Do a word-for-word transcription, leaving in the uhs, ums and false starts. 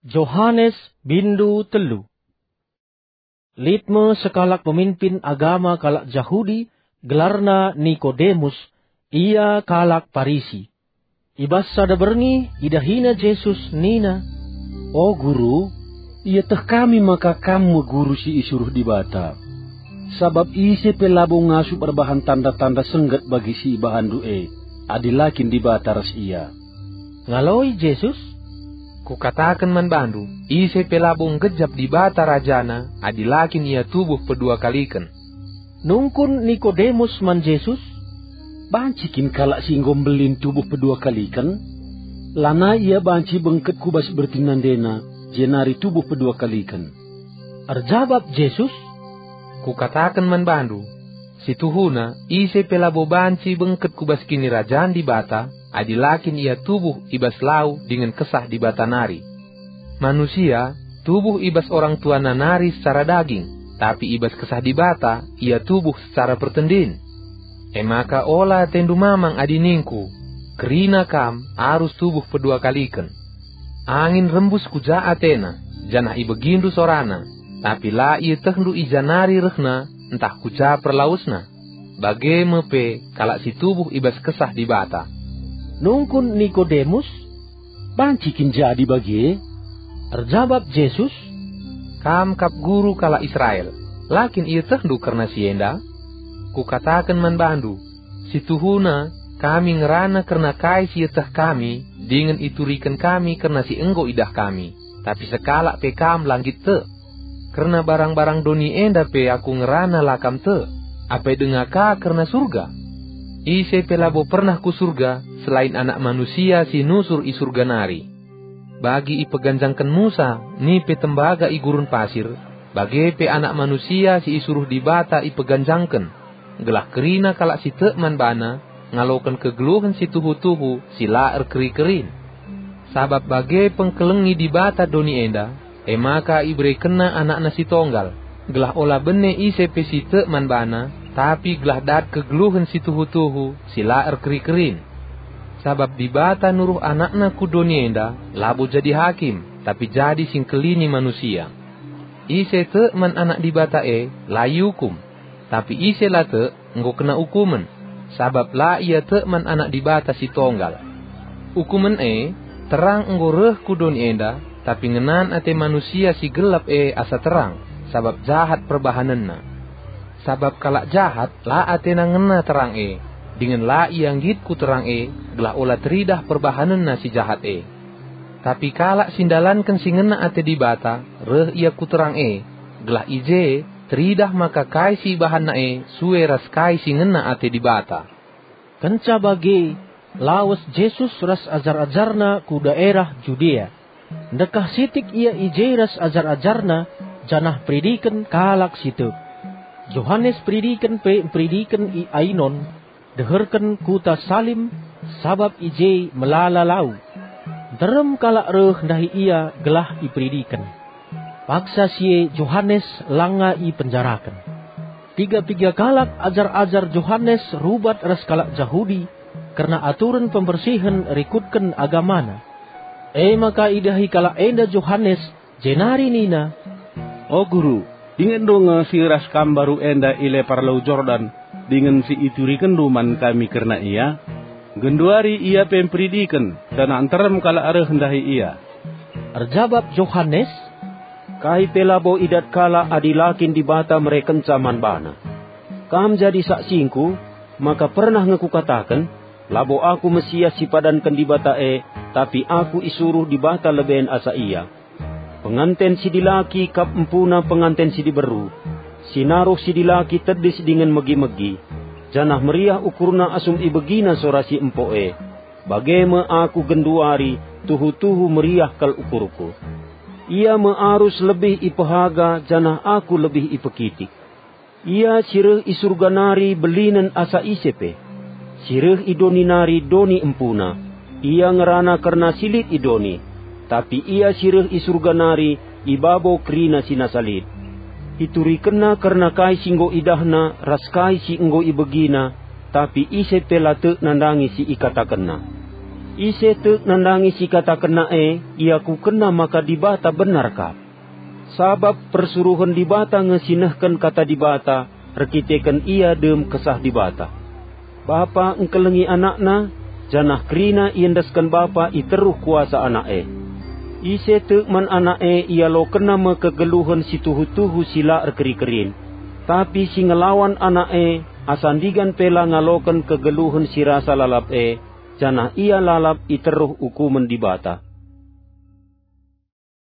Johanes bindu telu. Lit me sekalak pemimpin agama kalak Jahudi, gelarna Nikodemus, ia kalak Parisi. I bas sada berngi idahina Jesus nina, "O Guru, ieteh kami maka Kam me Guru si isuruh Dibata. Sabap ise pe labo ngasup erbahan tanda-tanda sengget bagi si ibahanndu e, adi la kin Dibata ras ia." Ngaloi Jesus, "Kukataken man bandu, ise pe labo nggejap Dibata rajana adi la kin ia tubuh pedua kaliken." Nungkun Nikodemus man Jesus, "Banci kin kalak si enggo mbelin tubuh pedua kaliken? Lanai ia banci bengket ku bas bertin nandena, jenari tubuh pedua kaliken." Erjabap Jesus, "Kukataken man bandu, si tuhuna, ise pe labo banci bengket ku bas Kinirajan Dibata, adi la kin ia tubuh i bas lau dingen Kesah Dibata nari. Manusia tubuh i bas orang tuana nari secara daging, tapi i bas Kesah Dibata ia tubuh secara pertendin. E maka ola atendu mamang adi ningku, 'Kerina kam arus tubuh pedua kaliken.' Angin rembus ku ja atena, janah ibegindu sorana, tapi la ietehndu i ja nari rehna ntah ku ja perlawesna. Bage me pe kalak si tubuh i bas Kesah Dibata." Nungkun Nikodemus, "Banci kin jadi bage?" Erjabap Jesus, "Kam kap guru kalak Israel, la kin ietehndu kerna si enda? Kukataken man bandu, si tuhuna kami ngerana kerna kai si ieteh kami dingen ituriken kami kerna si enggo idah kami, tapi sekalak pe kam la nggit tek. Kerna barang-barang doni enda pe aku ngerana la kam tek, apai denga ka kerna Surga? Ise pe labo pernah ku Surga selain Anak Manusia si nusur i Surga nari. Bagi ipeganjangken Musa nipe tembaga i gurun pasir, bage pe Anak Manusia si isuruh Dibata ipeganjangken, gelah kerina kalak si tek man baNa ngaloken kegeluhen si tuhu-tuhu si la erkeri-kerin. Sabap bage pengkelengi Dibata doni enda, e maka iberekenNa AnakNa si Tonggal, gelah ola bene ise pe si tek man baNa, tapi gelah dat kegeluhen si tuhu-tuhu si la erkeri-kerin. Sabap Dibata nuruh AnakNa ku doni enda labo jadi hakim, tapi jadi si ngkelini manusia. Ise tek man Anak Dibata e, la iukum. Tapi ise la tek, enggo kena ukumen, sabap la ia tek man Anak Dibata si Tonggal. Ukumen e, terang enggo reh ku doni enda, tapi ngenan ate manusia si gelap e asa terang, sabap jahat perbahanenna. Sabap kalak jahat la atena ngena terang e, dingen la ia nggit ku terang e, gelah ola teridah perbahanenna si jahat e. Tapi kalak si ndalanken si ngena ate Dibata, reh ia ku terang e, gelah i je teridah maka kai si ibahanna e sue ras kai si ngena ate Dibata." Kenca bage, lawes Jesus ras ajar-ajarNa ku daerah Judea. Ndekah sitik ia i je ras ajar-ajarNa, janah mperidiken kalak si tek. Johanes Peridiken pe mperidiken i Ainon, deherken kuta Salim, sabap i je melala lau. Nterem kalak reh ndahi ia gelah iperidiken. Paksa si e Johanes langa ipenjaraken. Piga-piga kalak ajar-ajar Johanes rubat ras kalak Jahudi kerna aturen pembersihen rikutken agamana. E maka idahi kalak enda Johanes, jenari nina, "O Guru, dingen do nge si ras Kam baru enda i lepar Lau Jordan, dingen si iturikenndu man kami kerna ia? Genduari ia pe mperidiken, janah nterem kalak reh ndahi ia." Erjabap Johanes, "Kai pe labo idat kalak adi la kin Dibata merekenca man bana. Kam jadi saksingku, maka pernah nge kukataken, 'Labo aku Mesias si ipadanken Dibata e, tapi aku isuruh Dibata leben asa ia.' Penganten si dilaki kap empuna penganten si diberu. Si naruh si dilaki tedis dingen megi-megi, janah meriah ukurna asum ibegina sora si empo e. Bage me aku genduari tuhu-tuhu meriah kal ukurku. Ia me arus lebih ipehaga janah aku lebih ipekitik. Ia si reh i Surga nari belinen asa ise pe. Si reh i doni nari doni empuna. Ia ngerana kerna si lit i doni. Tapi ia si reh i Surga nari i babo kerina si nasa lit. Iturikenna kerna kai si enggo idahna ras kai si enggo ibegina, tapi ise pe la tek nandangi si ikatakenna." Ise tek nandangi si ikatakenna e, iakukenna maka Dibata benar kap. Sabap persuruhen Dibata nge si nehken kata Dibata, erkiteken ia dem Kesah Dibata. Bapa engkelengi anakna, janah kerina iendesken Bapa i teruh kuasa Anak e. Ise tek man Anak e ialokenna me kegeluhen si tuhu-tuhu si la erkeri-kerin. Tapi si ngelawan Anak e, asa ndigan pe la ngaloken kegeluhen si rasa lalap e, janah ia lalap i teruh ukumen Dibata.